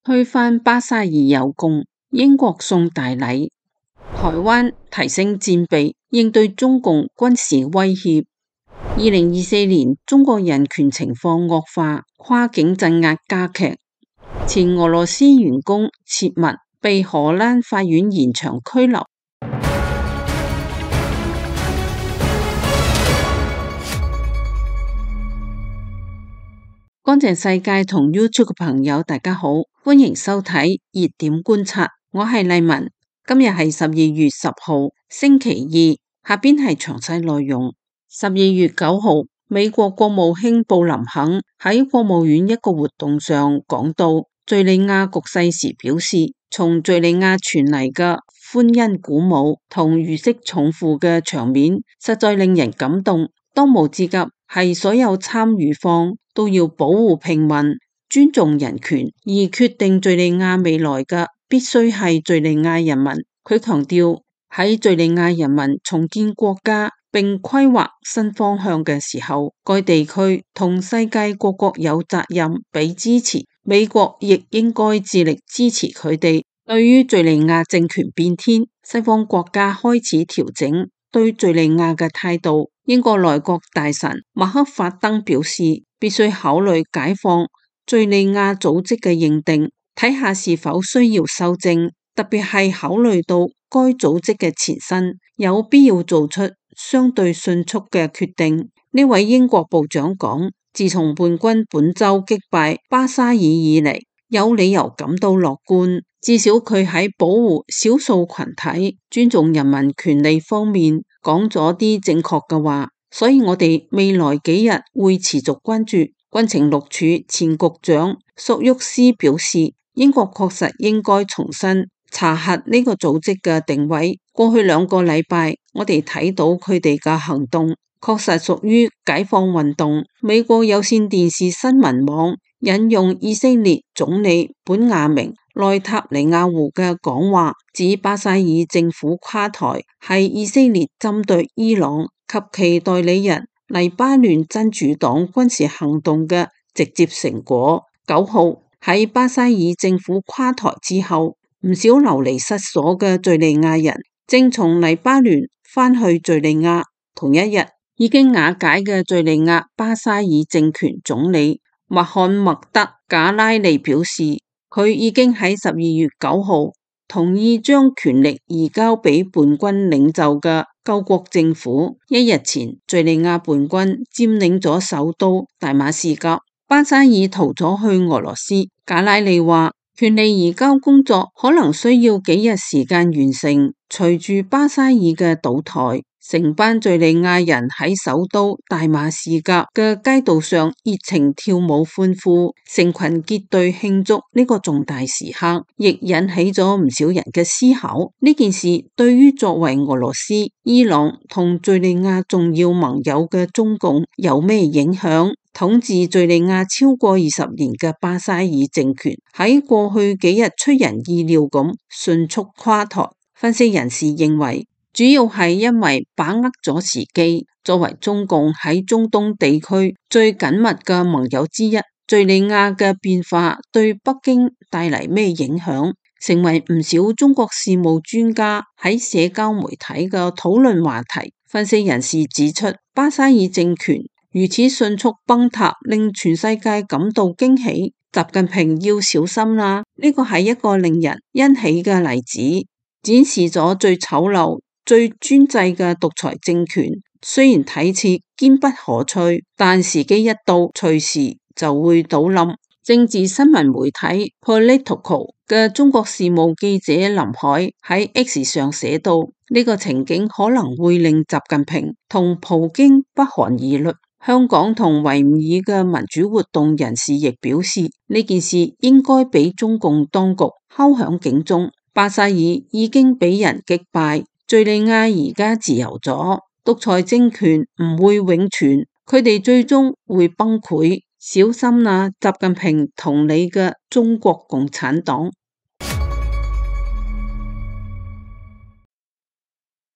推翻巴沙爾有功，英國送大禮。台灣提升戰備，應對中共軍事威脅。2024年中國人權情況惡化，跨境鎮壓加劇。前俄羅斯員工切勿被荷蘭法院延長拘留。乾淨世界同 YouTube 嘅朋友大家好，歡迎收睇熱點觀察，我係麗文。今日係12月10號星期二，下邊係詳細內容。12月9號，美國國務卿布林肯喺國務院一個活動上講到敘利亞局勢時表示，從敘利亞傳嚟嘅歡欣鼓舞同如釋重負嘅場面實在令人感動。當務之急係所有參與方都要保護平民、尊重人權，而決定敘利亞未來嘅必須係敘利亞人民。佢強調喺敘利亞人民重建國家並規劃新方向嘅時候，該地區同世界各國有責任俾支持，美國亦應該致力支持佢哋。對於敘利亞政權變天，西方國家開始調整對敘利亞嘅態度。英國內閣大臣麥克法登表示，必須考慮解放敘利亞組織嘅認定，睇下是否需要修正，特別係考慮到該組織嘅前身，有必要做出相對迅速嘅決定。呢位英國部長講，自從叛軍本周擊敗巴沙爾以嚟，有理由感到樂觀，至少佢喺保護少數群體、尊重人民權利方面講咗啲正確嘅話，所以我哋未來幾日會持續關注。軍情六處前局長索沃斯表示，英國確實應該重新查核呢個組織嘅定位。過去2個禮拜，我哋睇到佢哋嘅行動確實屬於解放運動。美國有線電視新聞網引用以色列總理本雅明內塔尼亞胡嘅講話，指巴沙爾政府垮台係以色列針對伊朗及其代理人黎巴嫩真主黨軍事行動嘅直接成果。9號喺巴沙爾政府垮台之後，唔少流離失所嘅敘利亞人正從黎巴嫩返去敘利亞。同一日，已經瓦解嘅敘利亞巴沙爾政權總理穆罕默德賈拉利表示，佢已經喺12月9號同意將權力移交俾叛軍領袖嘅救國政府。一日前，敘利亞叛軍佔領咗首都大馬士革，巴沙爾逃咗去俄羅斯。賈拉利話，權力移交工作可能需要幾日時間完成。隨住巴沙爾嘅倒台，成班敘利亞人喺首都大馬士革嘅街道上熱情跳舞歡呼，成群結隊慶祝呢個重大時刻，亦引起咗唔少人嘅思考。呢件事對於作為俄羅斯、伊朗同敘利亞重要盟友嘅中共有咩影響？統治敘利亞超過20年嘅巴沙爾政權喺過去幾日出人意料咁迅速垮台。分析人士認為，主要係因為把握咗時機。作為中共喺中東地區最緊密嘅盟友之一，敘利亞嘅變化對北京帶嚟咩影響，成為唔少中國事務專家喺社交媒體嘅討論話題。分析人士指出，巴沙爾政權如此迅速崩塌，令全世界感到驚喜。習近平要小心啦，呢個係一個令人欣喜嘅例子，展示咗最醜陋、最專制嘅獨裁政權。雖然睇似堅不可摧，但時機一到，隨時就會倒冧。政治新聞媒體 Politico 嘅中國事務記者林海喺 X 上寫道，呢個情景可能會令習近平同普京不寒而慄。香港同維吾爾嘅民主活動人士亦表示，呢件事應該俾中共當局敲響警鐘。巴沙爾已經俾人擊敗，敘利亞而家自由咗，獨裁政權唔會永存，佢哋最終會崩潰。小心啦，習近平同你嘅中國共產黨。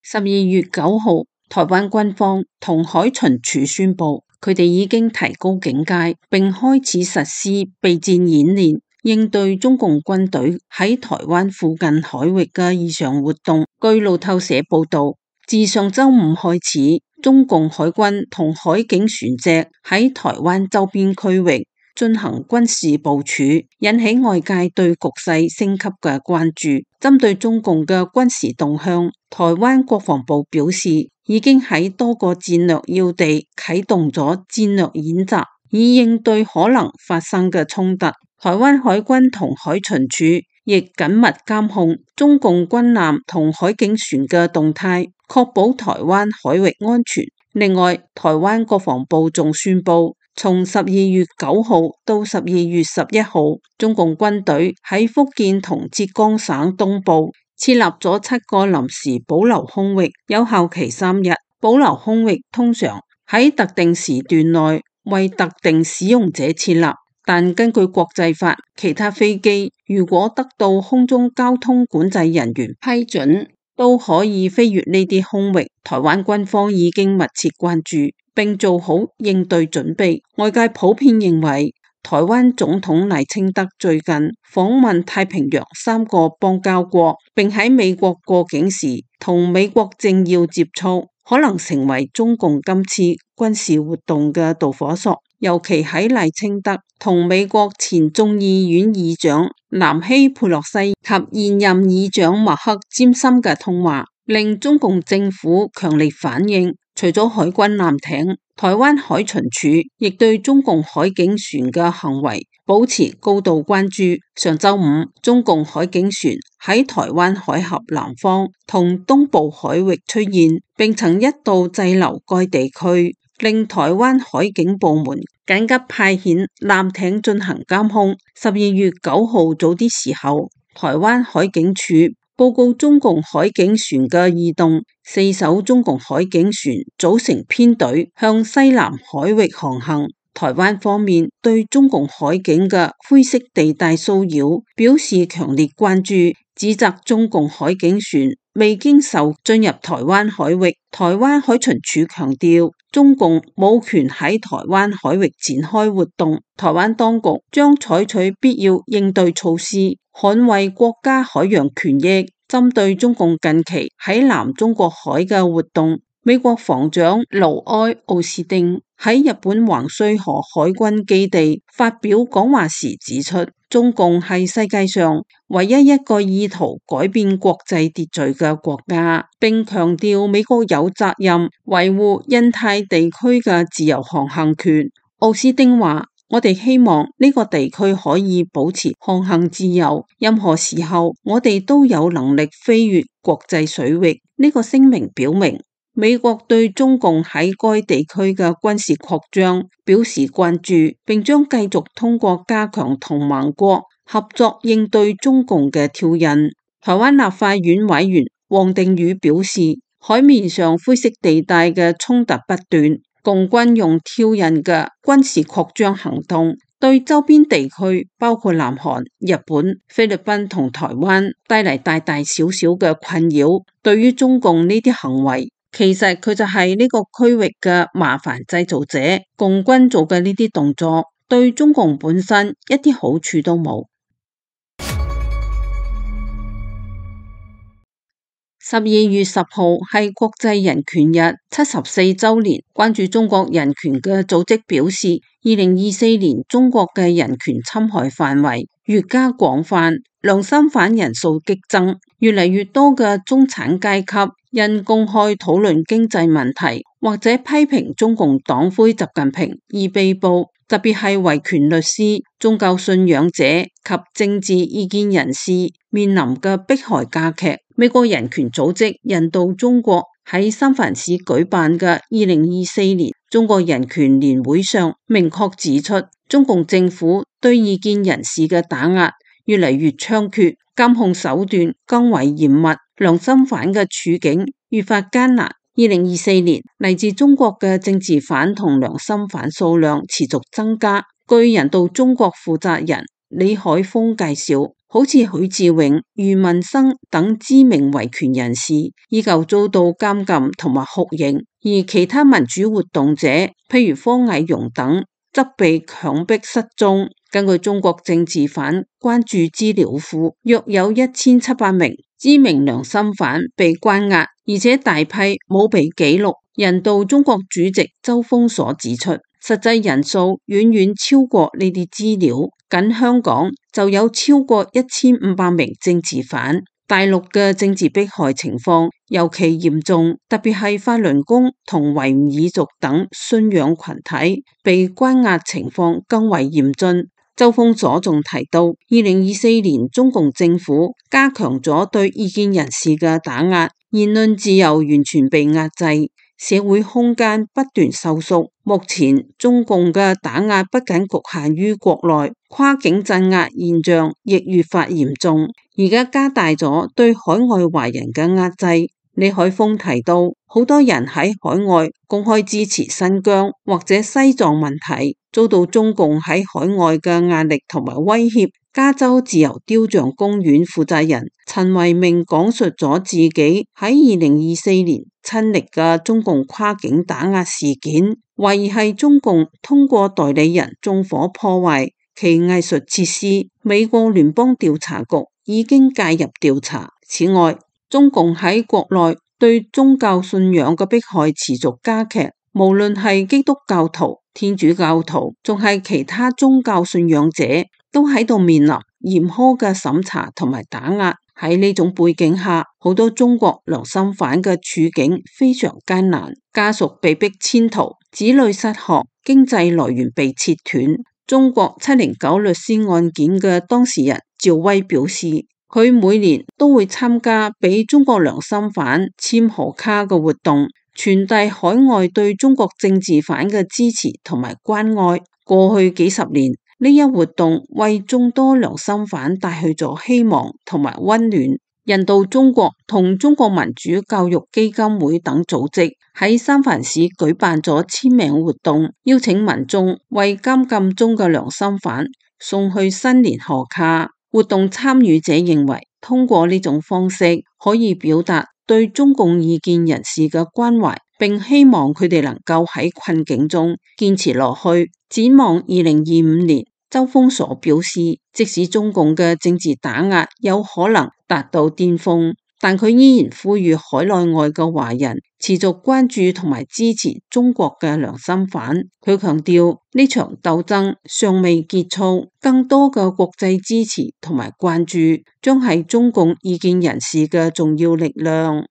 12月9號，台灣軍方同海巡署宣布，佢哋已經提高警戒，並開始實施備戰演練。應對中共軍隊喺台灣附近海域嘅異常活動。據路透社報道，自上週五開始，中共海軍同海警船隻喺台灣周邊區域進行軍事部署，引起外界對局勢升級嘅關注。針對中共嘅軍事動向，台灣國防部表示，已經喺多個戰略要地啟動咗戰略演習，以應對可能發生嘅衝突。台灣海軍同海巡署亦緊密監控中共軍艦同海警船嘅動態，確保台灣海域安全。另外，台灣國防部仲宣布，從12月9號到12月11號，中共軍隊喺福建同浙江省東部設立咗7個臨時保留空域，有效期3日。保留空域通常喺特定時段內為特定使用者設立，但根據國際法，其他飛機如果得到空中交通管制人員批准，都可以飛越呢啲空域。台灣軍方已經密切關注並做好應對準備。外界普遍認為，台灣總統賴清德最近訪問太平洋3個邦交國，並喺美國過境時同美國政要接觸，可能成為中共今次軍事活動嘅導火索。尤其喺賴清德同美國前眾議院議長南希佩洛西及現任議長麥克詹森嘅通話，令中共政府強烈反應。除咗海軍艦艇，台灣海巡署亦對中共海警船嘅行為保持高度關注。上週五，中共海警船喺台灣海峽南方同東部海域出現，並曾一度滯留該地區，令台灣海警部門緊急派遣艦艇進行監控。12月9號早啲時候，台灣海警署報告中共海警船嘅異動，4艘中共海警船組成編隊向西南海域航行。台灣方面對中共海警嘅灰色地帶騷擾表示強烈關注，指責中共海警船未經授進入台灣海域。台灣海巡署強調，中共冇權喺台灣海域展開活動，台灣當局將採取必要應對措施，捍衛國家海洋權益。針對中共近期喺南中國海嘅活動，美國防長盧埃奧斯汀喺日本橫須賀海軍基地發表講話時指出，中共係世界上唯一一個意圖改變國際秩序嘅國家，並強調美國有責任維護印太地區嘅自由航行權。奧斯汀話，我哋希望呢個地區可以保持航行自由，任何時候我哋都有能力飛越國際水域。呢個聲明表明，美國對中共喺該地區嘅軍事擴張表示關注，並將繼續通過加強同盟國合作應對中共嘅挑釁。台灣立法院委員王定宇表示，海面上灰色地帶嘅衝突不斷，共軍用挑釁嘅軍事擴張行動對周邊地區包括南韓、日本、菲律賓同台灣帶嚟大大小小嘅困擾。對於中共呢啲行為，其實佢就係呢個區域嘅麻煩製造者。共軍做嘅呢啲動作對中共本身一啲好處都冇。12月10號係國際人權日74週年，關注中國人權嘅組織表示，2024年中國嘅人權侵害範圍越加廣泛，良心犯人數激增，越嚟越多嘅中產階級因公開討論經濟問題或者批評中共黨魁習近平而被捕。特別係維權律師、宗教信仰者及政治意見人士面臨嘅迫害加劇。美國人權組織人道中國喺三藩市舉辦嘅2024年中國人權年會上明確指出，中共政府對異見人士嘅打壓越嚟越猖獗，監控手段更為嚴密，良心犯嘅處境越發艱難。2024年嚟自中國嘅政治犯同良心犯數量持續增加。據人道中國負責人李海峰介紹，好似許志永、余文生等知名維權人士依舊遭到監禁同埋酷刑，而其他民主活動者，譬如方毅榮等，則被強迫失蹤、根據中國政治犯關注資料庫，約有1700名知名良心犯被關押，而且大批冇被記錄。人道中國主席周鋒所指出，實際人數遠遠超過呢啲資料，僅香港就有超過1500名政治犯。大陸嘅政治迫害情況尤其嚴重，特別係法輪功同維吾爾族等信仰群體被關押情況更為嚴峻。周鋒所仲提到，2024年中共政府加強咗對異見人士嘅打壓，言論自由完全被壓制，社會空間不斷收縮。目前中共嘅打壓不僅局限於國內，跨境鎮壓現象亦越發嚴重，而家加大咗對海外華人嘅壓制。李海峰提到，好多人喺海外公開支持新疆或者西藏問題，遭到中共喺海外嘅壓力同埋威脅。加州自由雕像公園負責人陳維明講述咗自己喺2024年親歷嘅中共跨境打壓事件，懷疑係中共通過代理人縱火破壞其藝術設施。美國聯邦調查局已經介入調查。此外，中共喺國內對宗教信仰嘅迫害持續加劇，無論係基督教徒、天主教徒，仲係其他宗教信仰者，都喺度面臨嚴苛嘅審查同埋打壓。喺呢種背景下，好多中國良心犯嘅處境非常艱難，家屬被迫遷逃，子女失學，經濟來源被切斷。中國709律師案件嘅當事人趙薇表示，佢每年都會參加俾中國良心犯簽賀卡嘅活動，傳遞海外對中國政治犯嘅支持同埋關愛。過去幾十年，呢一活動為眾多良心犯帶去咗希望同埋溫暖。人道中國同中國民主教育基金會等組織喺三藩市舉辦咗簽名活動，邀請民眾為監禁中嘅良心犯送去新年賀卡。活動參與者認為，通過呢種方式可以表達對中共異見人士嘅關懷，並希望佢哋能夠喺困境中堅持落去。展望2025年，周鋒所表示，即使中共嘅政治打壓有可能達到巔峰，但佢依然呼籲海內外嘅華人持續關注同埋支持中國嘅良心犯。佢強調，呢場鬥爭尚未結束，更多嘅國際支持同埋關注將係中共異見人士嘅重要力量。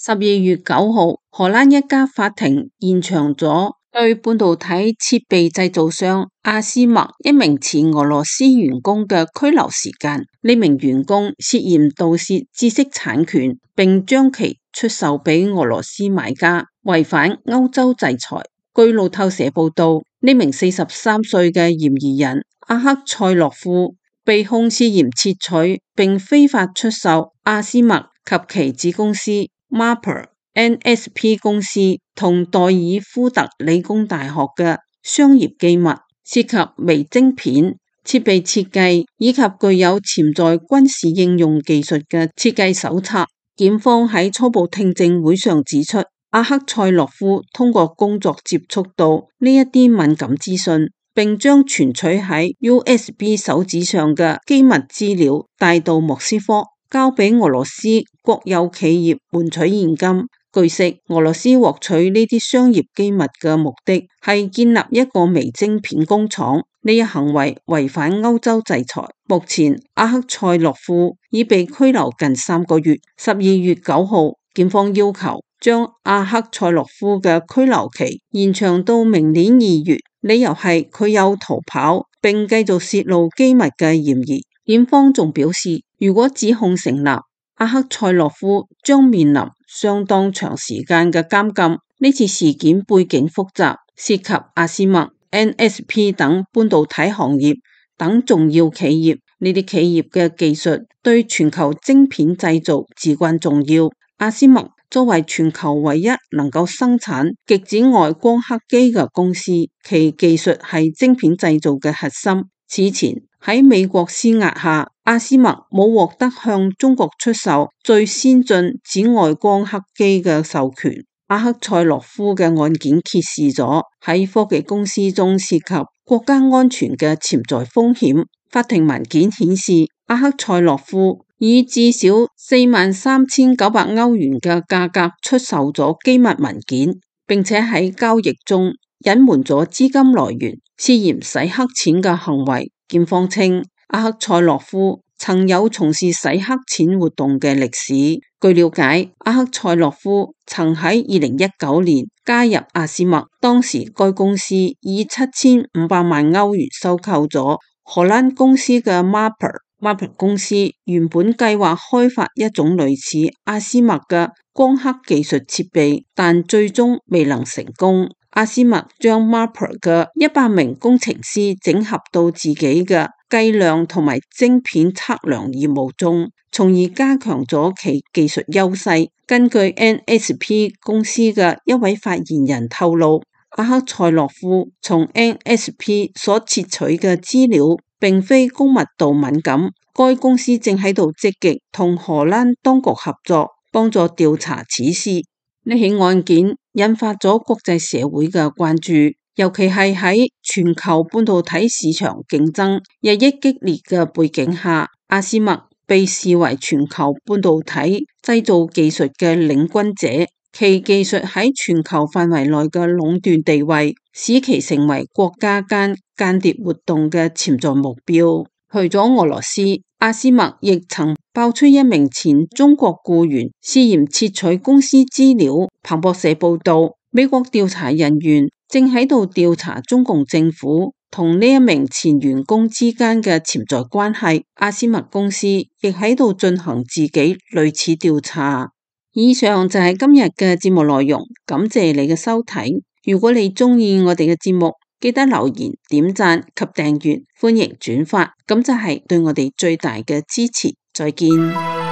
12月9號，荷蘭一家法庭延長咗對半導體設備製造商阿斯麥一名前俄羅斯員工嘅拘留時間。呢名員工涉嫌盜竊知識產權，並將其出售俾俄羅斯買家，違反歐洲制裁。據路透社報道，呢名43歲嘅嫌疑人阿克塞洛夫被控涉嫌竊取並非法出售阿斯麥及其子公司MAPR NSP 公司同代爾夫特理工大學嘅商業機密，涉及微晶片、設備設計以及具有潛在軍事應用技術嘅設計手冊。檢方喺初步聽證會上指出，阿克塞洛夫通過工作接觸到呢一啲敏感資訊，並將存取喺 USB 手指上嘅機密資料帶到莫斯科，交俾俄羅斯國有企業換取現金。據悉，俄羅斯獲取呢啲商業機密嘅目的係建立一個微晶片工廠，呢一行為違反歐洲制裁。目前，阿克塞洛夫已被拘留近3個月。12月9號，檢方要求將阿克塞洛夫嘅拘留期延長到明年2月，理由係佢有逃跑並繼續泄露機密嘅嫌疑。檢方仲表示，如果指控成立，阿克塞洛夫將面臨相當長時間嘅監禁。呢次事件背景複雜，涉及阿斯麥、NSP 等半導體行業等重要企業。呢啲企業嘅技術對全球晶片製造至關重要。阿斯麥作為全球唯一能夠生產極紫外光刻機嘅公司，其技術係晶片製造嘅核心。此前喺美國施壓下，阿斯麥冇獲得向中國出售最先進紫外光刻機嘅授權。阿克塞洛夫嘅案件揭示咗喺科技公司中涉及國家安全嘅潛在風險。法庭文件顯示，阿克塞洛夫以至少43,900歐元嘅價格出售咗機密文件，並且喺交易中隱瞞咗資金來源，涉嫌洗黑錢嘅行為。檢方稱，阿克塞洛夫曾有從事洗黑錢活動嘅歷史。據了解，阿克塞洛夫曾喺2019年加入阿斯麥，當時該公司以7500萬歐元收購咗荷蘭公司嘅 Maper 公司原本計劃開發一種類似阿斯麥嘅光刻技術設備，但最終未能成功。阿斯麥將 Maper 嘅100名工程師整合到自己嘅計量同埋晶片測量業務中，從而加強咗其技術優勢。根據 NSP 公司嘅一位發言人透露，阿克塞洛夫從 NSP 所竊取嘅資料並非高密度敏感，該公司正喺度積極同荷蘭當局合作，幫助調查此事。呢起案件引發咗國際社會嘅關注，尤其係喺全球半導體市場競爭日益激烈嘅背景下，阿斯麥被視為全球半導體製造技術嘅領軍者，其技術喺全球範圍內嘅壟斷地位，使其成為國家間間諜活動嘅潛在目標。除咗俄羅斯，阿斯麥亦曾爆出一名前中國僱員涉嫌竊取公司資料。彭博社報道，美國調查人員正喺度調查中共政府同呢一名前員工之間嘅潛在關係。阿斯麥公司亦喺度進行自己類似調查。以上就係今日嘅節目內容，感謝你嘅收睇。如果你鍾意我哋嘅節目，記得留言、點讚及訂閱，歡迎轉發，咁就係對我哋最大嘅支持。再見。